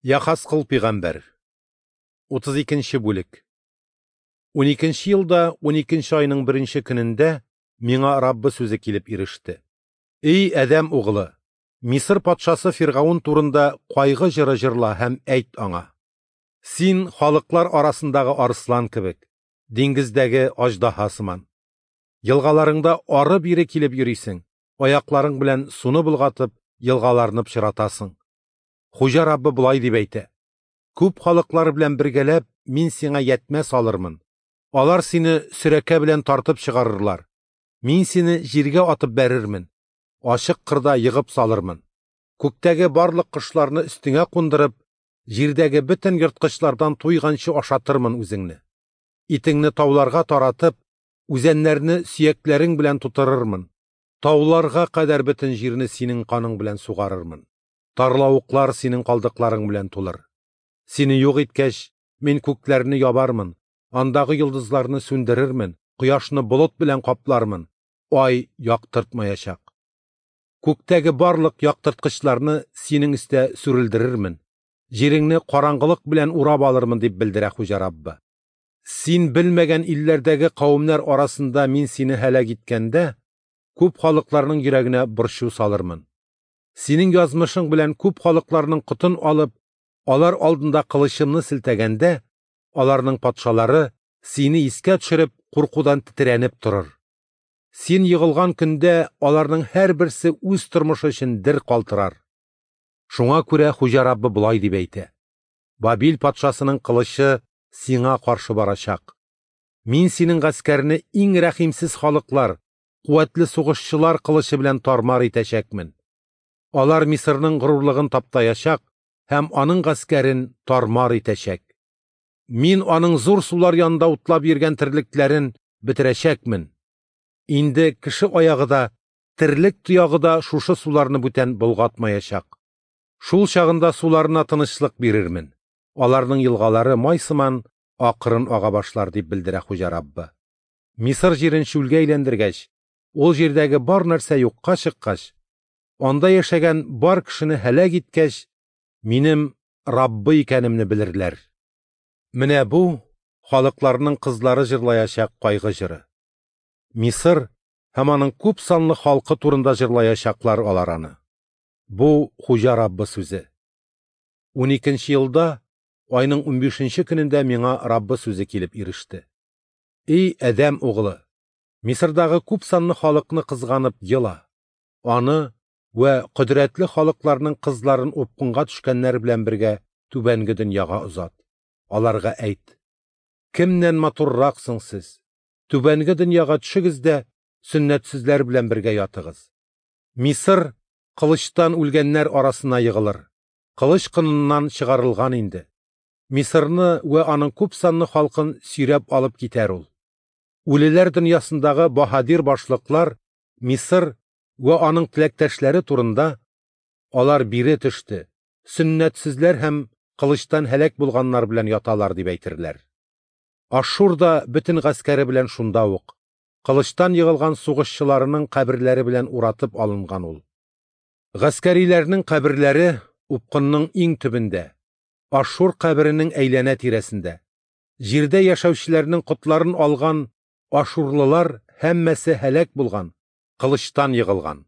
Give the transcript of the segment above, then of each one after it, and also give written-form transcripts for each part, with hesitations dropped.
Яхаскыл пигамбәр. 32 нче бүлек. 12 нче елда, 12 нче айның беренче көнендә миңа Раббы сүзе килеп иреште. Ий адәм угылы, Мисыр патшасы Фиргаун турында кайгы җыры җырла һәм әйт аңа: Син халыклар арасындагы арыслан кебек, диңгездәге аҗдаһа сыман. Елгаларыңда ары-бире килеп йөрисең, аякларың белән суны болгатып, елгаларны пычратасың. Хуҗа Раббы болай дип әйтә: Күп халыклар белән бергәләп мин сиңа ятьмә салырмын. Алар сине сөрәкә белән тартып чыгарырлар. Мин сине җиргә атып бәрермен, ачык кырда егып салырмын. Күктәге барлык кошларны өстеңә кундырып, җирдәге бөтен ерткычлардан туйганчы ашатырмын үзеңне. Итеңне тауларга таратып, үзәннәрне сөякләрең белән тутырырмын. Тауларга кадәр бөтен җирне синең каның белән сугарырмын. Тарлавыклар синең калдыкларың белән тулыр. Сине юк иткәч, мин күкләрне ябармын, андагы йолдызларны сүндерермен, кояшны болыт белән каплармын, ай яктыртмаячак. Күктәге барлык яктырткычларны синең өстә сүрелдерермен, җиреңне караңгылык белән урап алырмын, дип белдерә Хуҗа Раббы. Син белмәгән илләрдәге кавемнәр арасында мин сине һәлак иткәндә, күп халыкларның йөрәгенә борчу салырмын. Синең язмышың белән күп халыкларның котын алып, алар алдында кылычымны селтәгәндә, аларның патшалары сине искә төшереп, куркудан тетрәнеп торыр. Син егылган көндә аларның һәрберсе үз тормышы өчен дер калтырар. Шуңа күрә Хуҗа Раббы болай дип әйтә: Бабил патшасының кылычы сиңа каршы барачак. Мин синең гаскәрне иң рәхимсез халыклар, куәтле сугышчылар кылычы белән тармар итәчәкмен. Алар Мисырның горурлыгын таптаячак һәм аның гаскәрен тармар итәчәк. Мин аның зур сулар янында утлап йөргән терлекләрен бетерәчәкмен. Инде кеше аягы да, терлек тоягы да шушы суларны бүтән болгатмаячак. Шул чагында суларына тынычлык бирермен. Аларның елгалары май сыман акрын ага башлар, дип белдерә Хуҗа Раббы. Мисыр җирен чүлгә әйләндергәч, ул җирдәге бар нәрсә юкка чыккач, анда яшәгән бар кешене һәлак иткәч, минем Раббы икәнемне белерләр. Менә бу халыкларның кызлары җырлаячак кайгы җыры. Мисыр һәм аның күп санлы халкы турында җырлаячаклар алар аны. Бу Хуҗа Раббы сүзе. 12 елда, айның 15 көнендә миңа Раббы сүзе килеп иреште. Ий адәм угылы, Мисырдагы күп санлы халыкны кызганып ела. Аны вә кодрәтле халыкларның кызларын упкынга төшкәннәр белән бергә түбәнге дөньяга озат. Аларга әйт: Кемнән матуррак соң сез? Түбәнге дөньяга төшегез дә сөннәтсезләр белән бергә ятыгыз. Мисыр кылычтан үлгәннәр арасына егылыр. Кылыч кыныннан чыгарылган инде. Мисырны вә аның күп санлы халкын сөйрәп алып китәр ул. Үлеләр дөньясындагы баһадир башлыклар Мисыр вә аның теләктәшләре турында алар бире төште, сөннәтсезләр һәм кылычтан һәлак булганнар белән яталар дип әйтерләр. Ашшур да бөтен гаскәре белән шунда ук, кылычтан егылган сугышчыларының каберләре белән уратып алынган ул. Гаскәриләрнең каберләре упкынның иң төбендә, Ашшур каберенең әйләнә тирәсендә. Җирдә яшәүчеләрнең котларын алган ашурлылар һәммәсе һәлак булган, кылычтан егылган.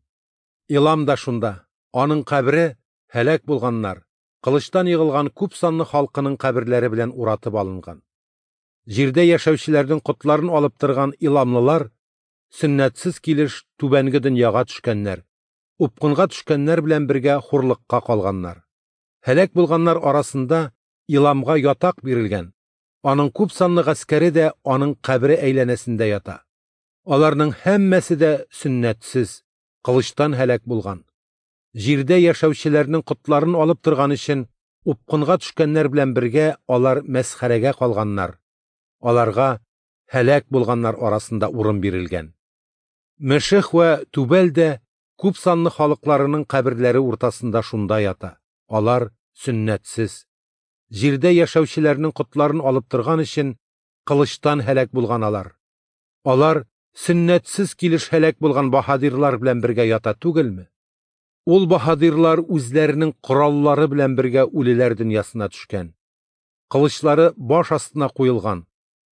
Илам да шунда, аның кабере һәлак булганнар, кылычтан егылган күп санлы халкының каберләре белән уратып алынган. Җирдә яшәүчеләрнең котларын алып торган иламлылар сөннәтсез килеш түбәнге дөньяга төшкәннәр, упкынга төшкәннәр белән бергә хурлыкка калганнар. Һәлак булганнар арасында Иламга ятак бирелгән, аның күп санлы гаскәре дә аның кабере әйләнәсендә ята. Аларның һәммәсе дә сөннәтсез, кылычтан һәлак булган. Җирдә яшәүчеләрнең котларын алып торган өчен упкынга төшкәннәр белән бергә алар мәсхәрәгә калганнар. Аларга һәлак булганнар арасында урын бирелгән. Мешех вә Түбәл дә күп санлы халыкларының каберләре уртасында шунда ята. Алар сөннәтсез. Җирдә яшәүчеләрнең котларын алып торган өчен кылычтан һәлак булган алар. Алар сөннәтсез килеш һәлак булган баһадирлар белән бергә ята түгелме? Ул баһадирлар үзләренең кораллары белән бергә үлеләр дөньясына төшкән. Кылычлары баш астына куелган,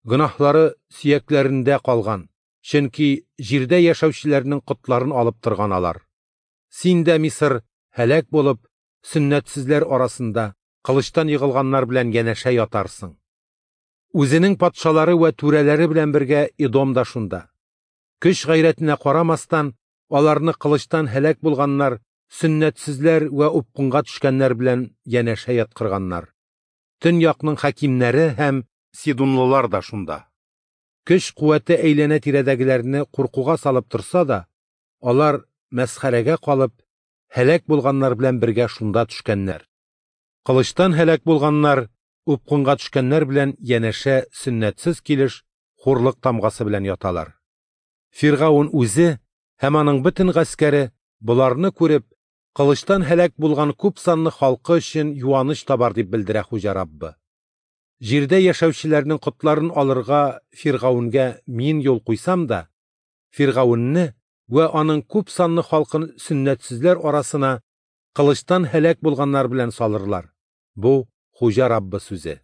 гөнаһлары сөякләрендә калган, чөнки җирдә яшәүчеләрнең котларын алып торган алар. Син дә, Мисыр, һәлак булып, сөннәтсезләр арасында, кылычтан егылганнар белән янәшә ятарсың. Үзенең патшалары вә түрәләре белән бергә Идом да шунда. Көч-гайрәтенә карамастан, аларны кылычтан һәлак булганнар, сөннәтсезләр вә упкынга төшкәннәр белән янәшә яткырганнар. Төньякның хакимнәре һәм сидунлылар да шунда. Көч-куәте әйләнә-тирәдәгеләрне куркуга салып торса да, алар мәсхәрәгә калып, һәлак булганнар белән бергә шунда төшкәннәр. Кылычтан һәлак булганнар, упкынга төшкәннәр белән янәшә сөннәтсез килеш хурлык тамгасы белән яталар. Фиргаун үзе һәм аның бөтен гаскәре боларны күреп, кылычтан һәлак булган күп санлы халкы өчен юаныч табар дип белдерә Хуҗа Раббы. Җирдә яшәүчеләрнең котларын алырга Фиргаунгә мин юл куйсам да, Фиргаунны вә аның күп санлы халкын сөннәтсезләр арасына кылычтан һәлак булганнар белән салырлар. Бу Хуҗа Раббы сүзе.